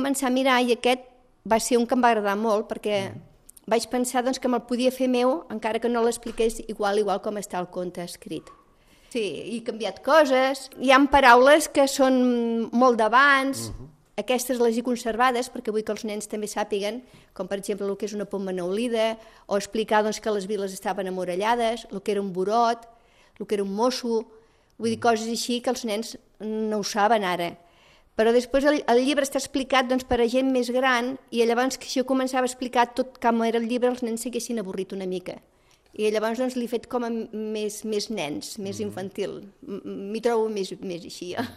Començar a mirar i aquest va ser un que em va agradar molt perquè vaig pensar doncs, que me'l podia fer meu encara que no l'expliqués igual com està el conte escrit. Sí, he canviat coses, hi ha paraules que són molt d'abans, aquestes les he conservades perquè vull que els nens també sàpiguen, com per exemple el que és una poma neolida, o explicar doncs, que les viles estaven amurallades, el que era un burot, el que era un mosso, vull dir coses així que els nens no ho saben ara. Però després el llibre està explicat doncs, per a gent més gran i llavors que si jo començava a explicar tot com era el llibre els nens s'haguessin avorrit una mica. I llavors doncs, l'he fet com a més nens, més infantil. M'hi trobo més així.